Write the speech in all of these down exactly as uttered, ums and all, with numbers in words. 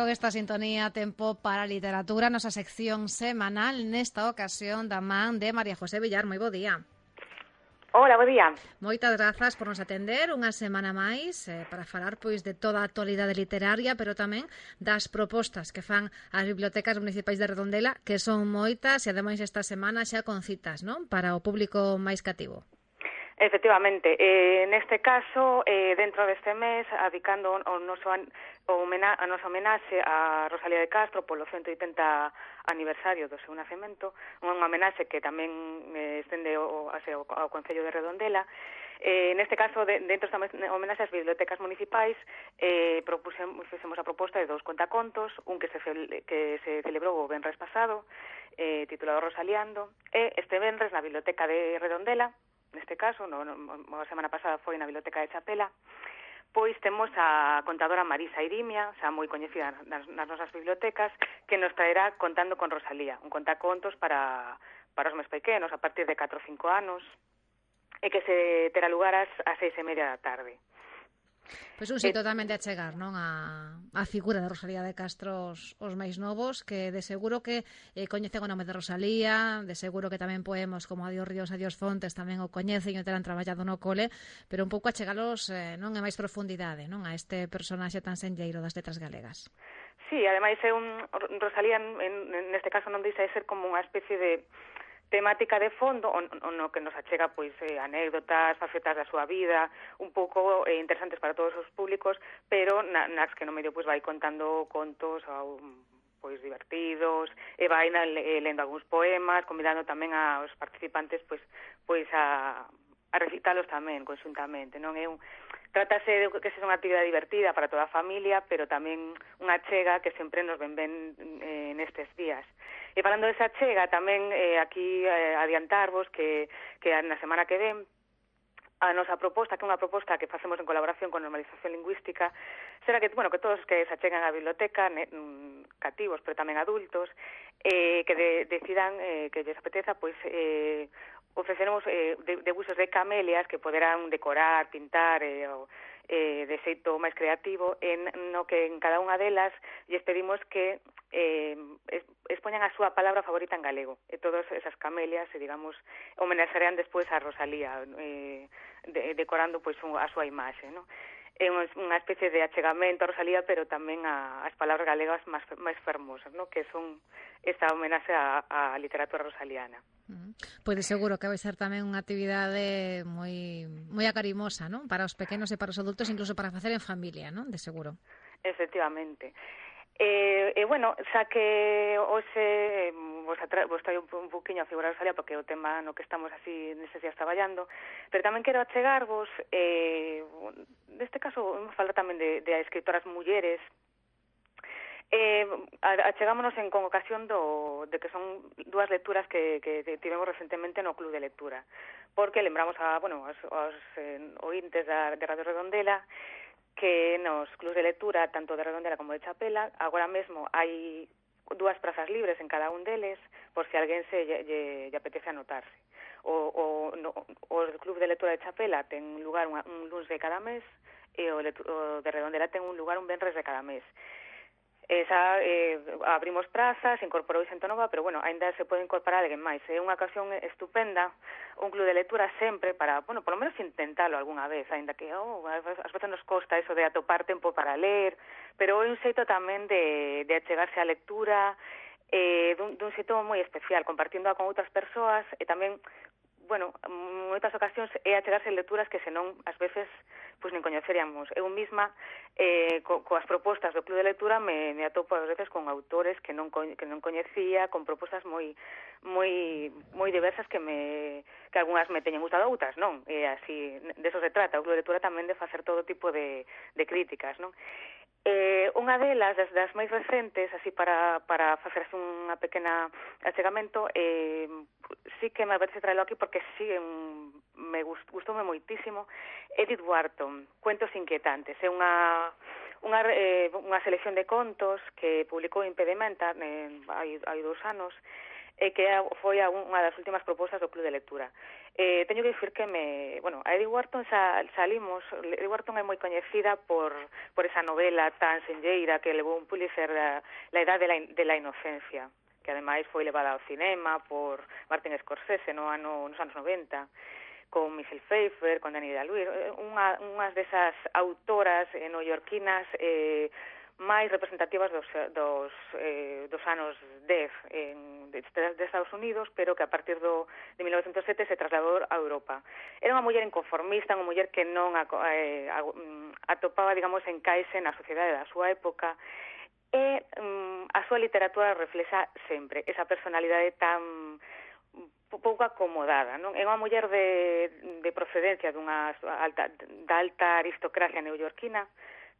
con esta sintonía tempo para a literatura, nosa sección semanal, nesta ocasión da man de María José Villar. Moi bo día. Hola, bo día. Moitas grazas por nos atender unha semana máis eh, para falar pois de toda a actualidade literaria, pero tamén das propostas que fan as bibliotecas municipais de Redondela, que son moitas e ademais esta semana xa con citas, non? Para o público máis cativo. Efectivamente, eh, neste caso, eh, dentro deste mes, adicando o noso, o homena, a nosa homenaxe a Rosalía de Castro polo ciento oitenta aniversario do seu nacemento, unha homenaxe que tamén eh, estende o, ao, ao Concello de Redondela. Eh, neste caso, de, dentro desta homenaxe ás bibliotecas municipais, eh, propusemos, fixemos a proposta de dous contacontos, un que se, que se celebrou o venres pasado, eh, titulado Rosaliando, e este venres na Biblioteca de Redondela, neste caso, no, no, a semana pasada foi na Biblioteca de Chapela, pois temos a contadora Marisa Irimia, xa moi coñecida nas, nas nosas bibliotecas, que nos traerá Contando con Rosalía, un contacontos para, para os máis pequenos, a partir de catro ou cinco anos, e que se terá lugar ás, ás seis e media da tarde. Pois un xeito tamén de achegar, non, a, a figura de Rosalía de Castro os, os máis novos, que de seguro que eh, coñecen o nome de Rosalía, de seguro que tamén poemos como Adiós Ríos, Adiós Fontes tamén o coñecen e o terán traballado no cole, pero un pouco achegalos eh, non en máis profundidade, non, a este personaxe tan senlleiro das letras galegas. Sí, ademais é un Rosalía en, neste caso non deixa de ser como unha especie de temática de fondo, o, o no que nos achega pois eh, anécdotas, facetas da súa vida, un pouco eh, interesantes para todos os públicos, pero na, nas que no medio pois vai contando contos ao, pois divertidos, e vai na, eh, lendo algúns poemas, convidando tamén aos participantes pois pois a a recitalos tamén conxuntamente, non é un Trátase de que sexa unha actividade divertida para toda a familia, pero tamén unha chega que sempre nos ven ben eh, nestes días. E falando desa chega, tamén eh, aquí eh, adiantarvos que, que na semana que ven a nosa proposta, que é unha proposta que facemos en colaboración con Normalización Lingüística, será que, bueno, que todos que se achegan á biblioteca, ne, cativos, pero tamén adultos, eh, que de, decidan eh, que lles apeteza, pois, eh, ofreceremos eh, de, debuxos de camelias que poderán decorar, pintar eh, o, eh, de xeito máis creativo, en no que en cada unha delas lles pedimos que eh, expoñan a súa palabra favorita en galego, e todas esas camelias, eh, digamos, homenaxarán despois a Rosalía, eh, de, decorando pois a súa imaxe, non? É unha especie de achegamento a Rosalía, pero tamén a, as palabras galegas máis, máis fermosas, ¿no? Que son esta homenaxe á, á literatura rosaliana. Uh-huh. Pois de seguro que vai ser tamén unha actividade moi moi acarimosa, non? Para os pequenos e para os adultos, incluso para facer en familia, non? De seguro. Efectivamente. E, e bueno, xa que hoxe vos, atra, vos traio un poquinho a figura de Rosalía, porque é o tema no que estamos así nestes días traballando, pero tamén quero achegarvos, eh, neste caso, vamos falar tamén de, de escritoras mulleres. Eh, achegámonos en con ocasión do, de que son dúas lecturas que, que tivemos recentemente no Club de Lectura, porque lembramos a, bueno, aos, aos eh, ointes da, de Radio Redondela que nos clubs de lectura, tanto de Redondela como de Chapela, agora mesmo hai dúas prazas libres en cada un deles, por se alguén se lle, lle, lle apetece anotarse. O, o, no, o club de lectura de Chapela ten lugar un, un luns de cada mes, e o, o de Redondela ten un lugar un venres de cada mes. Esa, eh, abrimos prazas, incorporou xente nova, pero bueno, ainda se pode incorporar alguén máis. É unha ocasión estupenda, un club de lectura sempre para, bueno, por lo menos intentalo algunha vez, ainda que oh, ás veces nos costa eso de atopar tempo para ler, pero é un xeito tamén de, de achegarse á lectura, eh, dun, dun xeito moi especial, compartindo con outras persoas, e tamén, bueno, en moitas ocasións é achegarse lecturas que senón, ás veces, pois nin coñeceríamos. Eu misma, eh, co, coas propostas do Club de Lectura, me, me atopo ás veces con autores que non, que non coñecía, con propostas moi moi moi diversas que me que algunhas me teñen gustado, outras non. E así, de eso se trata. O Club de Lectura tamén de facer todo tipo de, de críticas, non? Eh, unha delas, das, das máis recentes, así para, para facer unha pequena achegamento, eh, sí que me apetece traelo aquí porque sí, um, me gust, gustoume moitísimo, Edith Wharton, Cuentos inquietantes. É unha, unha, eh, unha selección de contos que publicou Impedimenta eh, hai, hai dous anos, e que foi unha das últimas propostas do Club de Lectura. Eh, teño que dicir que me, bueno, a Edith Wharton sa, salimos, Edith Wharton é moi coñecida por, por esa novela tan senlleira que levou un Pulitzer, la, la edad de la, de la inocencia, que ademais foi levada ao cinema por Martin Scorsese no ano, nos anos noventa, con Michelle Pfeiffer, con Dani Day-Lewis, unha, unhas desas autoras eh, neoyorquinas eh, máis representativas dos, dos, eh, dos anos dez en, de, de Estados Unidos, pero que a partir do, de mil novecentos sete se trasladou a Europa. Era unha muller inconformista, unha muller que non a, eh, a, atopaba, digamos, encaixe na sociedade da súa época, e um, a súa literatura reflexa sempre esa personalidade tan pouco acomodada, non? É unha muller de, de procedencia dunha alta, da alta aristocracia neoyorquina,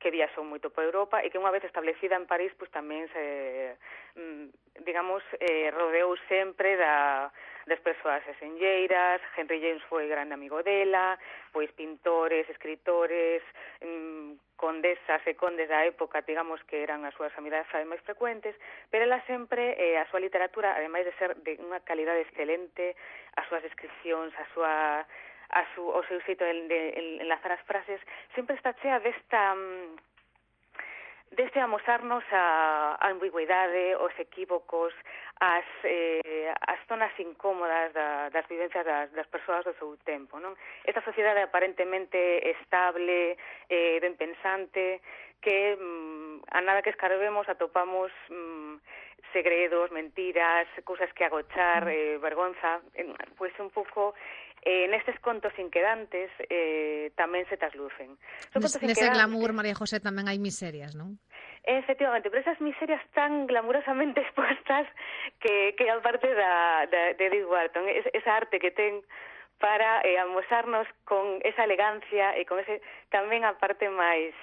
que viaxou moito por Europa e que unha vez establecida en París, pois tamén se, digamos, eh, rodeou sempre da, das persoas senlleiras. Henry James foi grande amigo dela, pois pintores, escritores, mm, condesas e condes da época, digamos, que eran as súas amizades máis frecuentes, pero ela sempre, eh, a súa literatura, ademais de ser de unha calidade excelente, as súas descripcións, a súa a su, o seu xeito de, de enlazar as frases, sempre está chea desta deste amosarnos a, a ambigüidade, os equívocos, as, eh, as zonas incómodas da, das vivencias das, das persoas do seu tempo, non? Esta sociedade aparentemente estable, eh, ben pensante, que mm, a nada que escarbemos atopamos mm, segredos, mentiras, cousas que agochar, eh, vergonza, eh, pois un pouco eh, nestes contos inquedantes eh, tamén se traslucen. Son contos Nese glamour, María José, tamén hai miserias, non? Efectivamente, pero esas miserias tan glamurosamente expuestas que, que aparte da, da, de Edith Wharton, es, esa arte que ten para eh, amosarnos con esa elegancia e con ese tamén a parte máis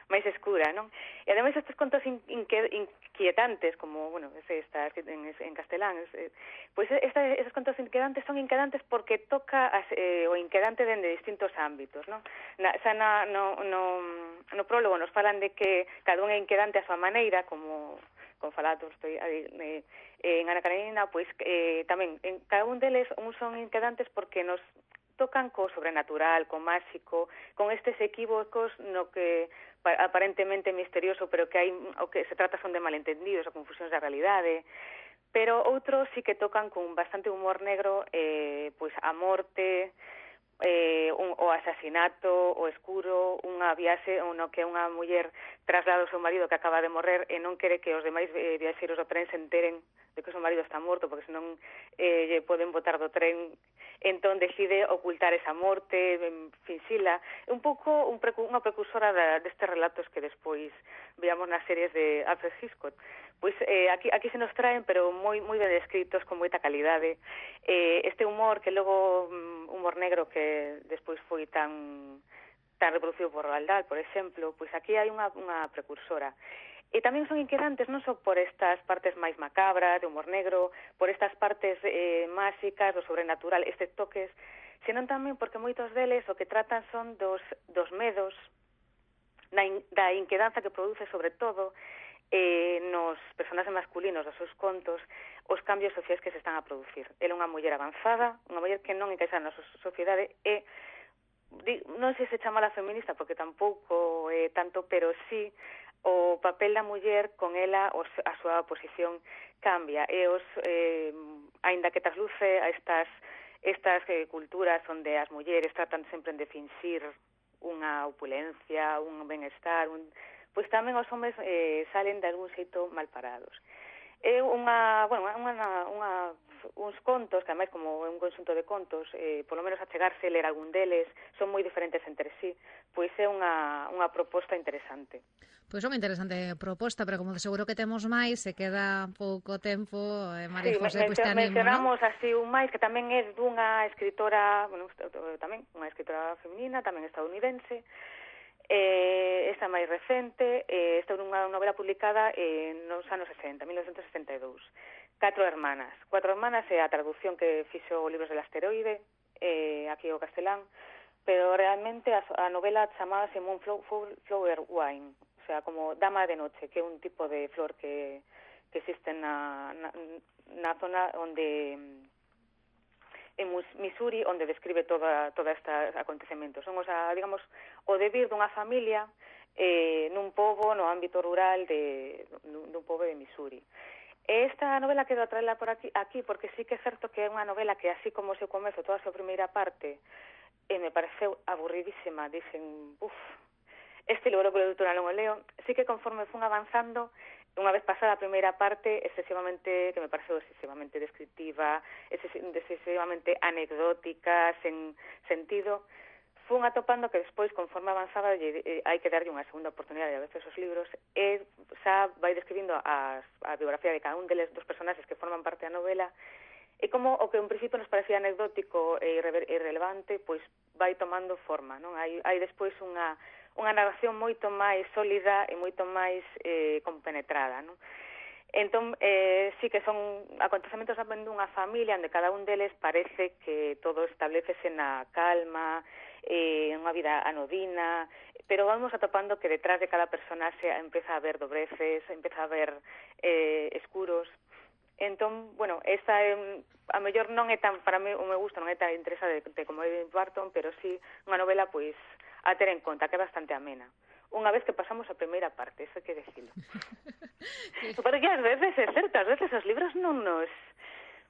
máis escura, non? E ademais estes contos in, inque, inquietantes, como, bueno, ese está en, en castelán, es, pois esta, esos contos inquietantes son inquietantes porque toca as, eh, o inquietante dende distintos ámbitos, non? Na, xa na, no, no, no prólogo nos falan de que cada un é inquietante a súa maneira, como con falatos estoy eh, en Ana Karenina, pois eh, tamén en cada un deles uns son inquietantes porque nos tocan co sobrenatural, co máxico, con estes equívocos no que aparentemente misterioso, pero que hai o que se trata son de malentendidos ou confusións da realidade, pero outros sí que tocan con bastante humor negro, eh, pois a morte, eh, un, o asasinato, o escuro, unha viaxe no que unha muller traslada o seu marido que acaba de morrer e non quere que os demais eh, viaxeiros do tren se enteren de que o seu marido está morto, porque senón eh, lle poden botar do tren. Entón decide ocultar esa morte, finxila, un pouco un precu unha precursora da, destes relatos que despois veamos nas series de Alfred Hitchcock. Pois eh, aquí, aquí se nos traen, pero moi moi ben descritos, con moita calidade. Eh, este humor, que logo, um, humor negro, que despois foi tan tan reproducido por Roald Dahl, por exemplo, pois aquí hai unha, unha precursora. E tamén son inquietantes non só por estas partes máis macabras, de humor negro, por estas partes eh, máxicas, do sobrenatural, estes toques, senón tamén porque moitos deles o que tratan son dos, dos medos, da, in, da inquedanza que produce sobre todo eh, nos personaxes masculinos dos seus contos, os cambios sociais que se están a producir. Ela é unha muller avanzada, unha muller que non encaixa na sociedade e non sei se chamala feminista porque tampouco é eh, tanto, pero sí o papel da muller con ela, os, a súa posición cambia e os, eh, aínda que trasluce a estas estas eh, culturas onde as mulleres tratan sempre de finxir unha opulencia, un benestar, un, pois tamén os homes eh, salen de algún xeito mal parados. É unha, bueno, unha, unha, uns contos, que ademais como é un conxunto de contos, eh, polo menos achegarse ler algún deles, son moi diferentes entre sí, pois é unha, unha proposta interesante. Pois é unha interesante proposta, pero como de seguro que temos máis, se queda pouco tempo, eh, María sí, José, pois te animo, mencionamos ¿no? así un máis, que tamén é dunha escritora, bueno, tamén unha escritora feminina, tamén estadounidense, Eh, esta máis recente, eh, esta é unha novela publicada eh, nos anos sesenta, mil novecentos sesenta e dous. Catro hermanas. Cuatro hermanas é a traducción que fixo o Libros del Asteroide, eh, aquí o castelán, pero realmente a, a novela chamábase Moonflower Wine, o sea, como Dama de Noche, que é un tipo de flor que, que existen na, na, na zona onde en Missouri, onde describe toda toda estes acontecementos. Son, o sea, digamos, o devir dunha familia eh, nun pobo, no ámbito rural de, dun pobo de Missouri. Esta novela quero traela por aquí, aquí porque sí que é certo que é unha novela que, así como o seu comezo, toda a súa primeira parte, eh, me pareceu aburridísima. Dixen, uff, este libro que doutora non o leo. Sí que conforme fun avanzando, unha vez pasada a primeira parte, excesivamente, que me pareceu excesivamente descriptiva, excesivamente anecdótica, sen sentido, fun atopando que despois, conforme avanzaba, eh, hai que darlle unha segunda oportunidade a veces os libros, e xa vai describindo a, a biografía de cada un deles dos personaxes que forman parte da novela, e como o que en principio nos parecía anecdótico e irrelevante, pois vai tomando forma, non? Hai, hai despois unha unha narración moito máis sólida e moito máis eh, compenetrada, non? Entón, eh, sí que son acontecementos tamén dunha familia onde cada un deles parece que todo establecese na calma, eh, unha vida anodina, pero vamos atopando que detrás de cada personaxe empeza a haber dobreces, empeza a haber eh, escuros. Entón, bueno, esta é, a mellor non é tan, para mí o me gusta, non é tan interesante como Edith Wharton, pero sí unha novela, pois, a ter en conta, que é bastante amena. Unha vez que pasamos a primeira parte, eso hai que decirlo. Porque ás veces é certo, ás veces os libros non nos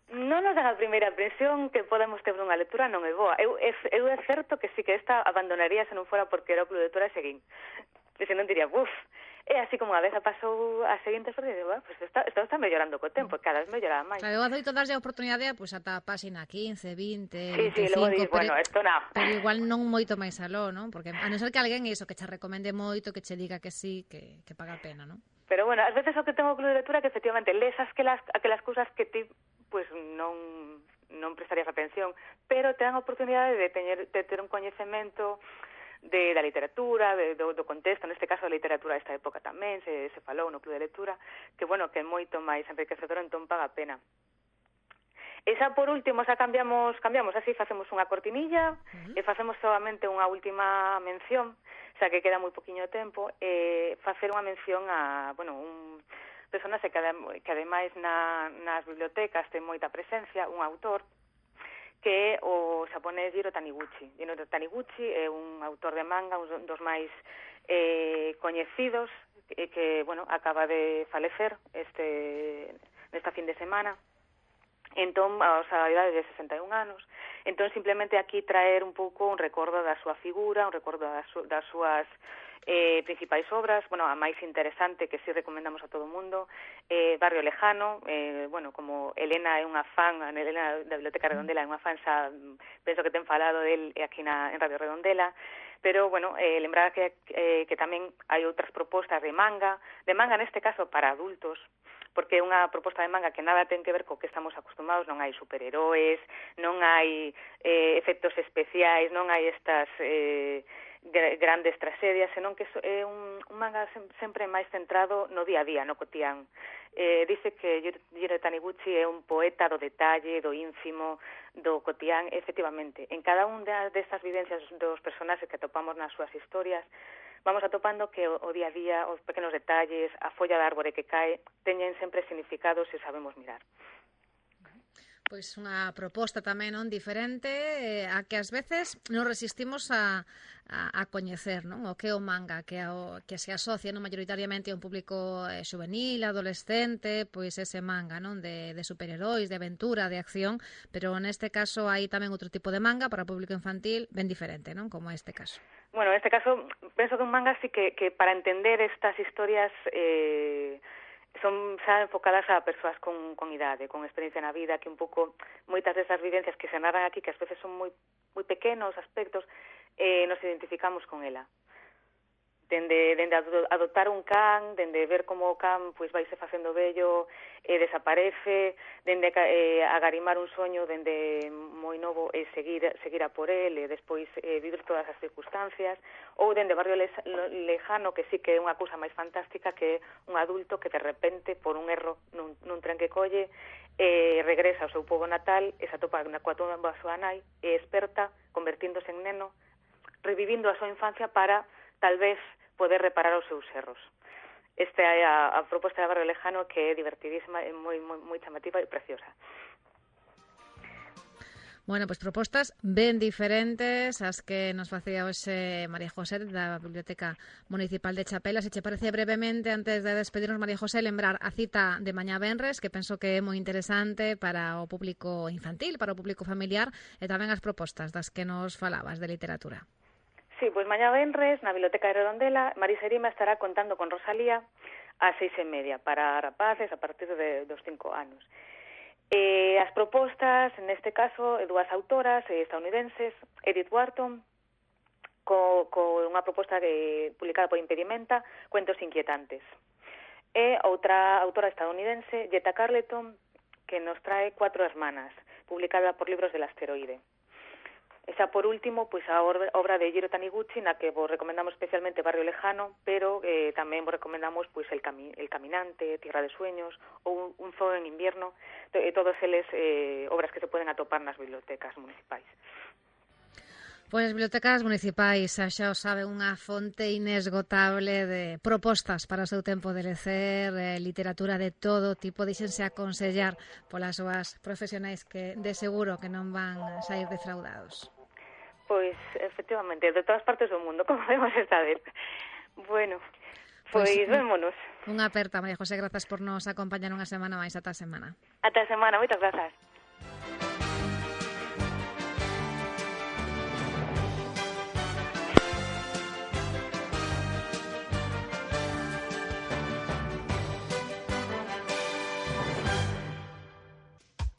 non nos dan a primeira impresión que podemos ter unha lectura non é boa. Eu, é, eu é certo que sí que esta abandonaría se non fora porque era o club de lectura e seguín. E se non diría, buf, é así como a vez pasou a seguinte sobre, e digo, pues está, está, está mellorando co tempo, cada vez melloraba máis. Claro, eu adoito darlle a oportunidade, pues, ata a páxina quince, vinte, sí, veinticinco, sí, logo dis, pero, bueno, esto non. Pero igual non moito máis aló, non? Porque a non ser que alguén iso, que che recomende moito, que che diga que sí, que, que paga a pena, non? Pero bueno, ás veces o que tengo club de lectura que efectivamente lees aquelas, aquelas cousas que ti pues non non prestarías atención, pero te dan a oportunidade de tener, de ter un coñecemento de, da literatura, de, do, do contexto, neste caso da literatura desta época tamén, se, se falou no club de lectura, que bueno, que é moito máis enriquecedor, entón paga a pena. E xa por último, xa cambiamos, cambiamos así, facemos unha cortinilla, uh-huh. e facemos solamente unha última mención, xa que queda moi poquinho tempo, e facer unha mención a, bueno, un personaxe que, que ademais na, nas bibliotecas ten moita presencia, un autor, que é o xaponés Jiro Taniguchi. Jiro Taniguchi é un autor de manga, un dos máis eh, coñecidos, que, que, bueno, acaba de falecer este, nesta fin de semana, entón, a idade de sesenta e un anos. Entón, simplemente aquí traer un pouco un recordo da súa figura, un recordo das, su, das súas eh, principais obras, bueno, a máis interesante que sí recomendamos a todo o mundo, eh, Barrio Lejano, eh, bueno, como Elena é unha fan, Elena da Biblioteca Redondela é unha fan, xa penso que ten falado del aquí na, en Radio Redondela, pero, bueno, eh, lembrar que, eh, que tamén hai outras propostas de manga, de manga neste caso para adultos, porque é unha proposta de manga que nada ten que ver co que estamos acostumados, non hai superheróis, non hai eh, efectos especiais, non hai estas eh, grandes tragedias, senón que é un, un manga sempre máis centrado no día a día, no cotián. Eh, dice que Jiro Taniguchi é un poeta do detalle, do ínfimo, do cotián, efectivamente. En cada unha destas vivencias dos personaxes que atopamos nas súas historias, vamos atopando que o día a día, os pequenos detalles, a folla da árbore que cae, teñen sempre significados se sabemos mirar. Pois unha proposta tamén non diferente eh, a que ás veces non resistimos a, a, a coñecer, non? O que é o manga, que, o, que se asocia non mayoritariamente a un público eh, juvenil, adolescente, pois ese manga, non? De, de superheróis, de aventura, de acción, pero neste caso hai tamén outro tipo de manga para o público infantil ben diferente, non? Como este caso. Bueno, en este caso, penso que un manga sí que, que para entender estas historias eh, son xa enfocadas a persoas con, con idade, con experiencia na vida, que un pouco moitas desas vivencias que se narran aquí, que ás veces son moi moi pequenos aspectos, eh, nos identificamos con ela. Dende, dende adoptar un can, dende ver como o can pois vaise facendo vello e desaparece, dende eh, agarimar un soño dende moi novo e seguir, seguir a por el e despois eh, vivir todas as circunstancias, ou dende Barrio Lejano, que sí que é unha cousa máis fantástica, que é un adulto que de repente, por un erro nun, nun tren que colle, eh, regresa ao seu pobo natal e se atopa na coa tumba a súa nai e experta, convertíndose en neno, revivindo a súa infancia para, tal vez, poder reparar os seus erros. esta é a, a proposta de Barrio Lejano, que é divertidísima, é moi, moi, moi chamativa e preciosa. Bueno, pois pues propostas ben diferentes as que nos facía hoxe María José da Biblioteca Municipal de Chapela. Se che parece brevemente, antes de despedirnos, María José, lembrar a cita de mañá venres, que penso que é moi interesante para o público infantil, para o público familiar, e tamén as propostas das que nos falabas de literatura. Sí, pois mañá venres, na Biblioteca de Redondela, Marisa Erima estará contando con Rosalía ás seis e media para rapaces a partir de, dos cinco anos. Eh, as propostas, neste caso, dúas autoras eh, estadounidenses, Edith Wharton, co, co unha proposta de, publicada por Impedimenta, Cuentos inquietantes. E outra autora estadounidense, Jetta Carleton, que nos trae Cuatro hermanas, publicada por Libros del Asteroide. Esa, por último, pois a obra de Jiro Taniguchi, na que vos recomendamos especialmente Barrio Lejano, pero eh, tamén vos recomendamos pois el, cami el Caminante, Tierra de Sueños ou Un, un zoo en invierno, to eh, todos eles eh, obras que se poden atopar nas bibliotecas municipais. Pois as bibliotecas municipais, xa o sabe, unha fonte inesgotable de propostas para o seu tempo de lecer, eh, literatura de todo tipo. Díxense aconsellar polas súas profesionais que de seguro que non van a sair defraudados. Pois, efectivamente, de todas partes do mundo, como vemos esta vez. Bueno, pois, pois vémonos. Unha aperta, María José, grazas por nos acompañar unha semana máis. Ata a semana. Ata a semana, moitas grazas.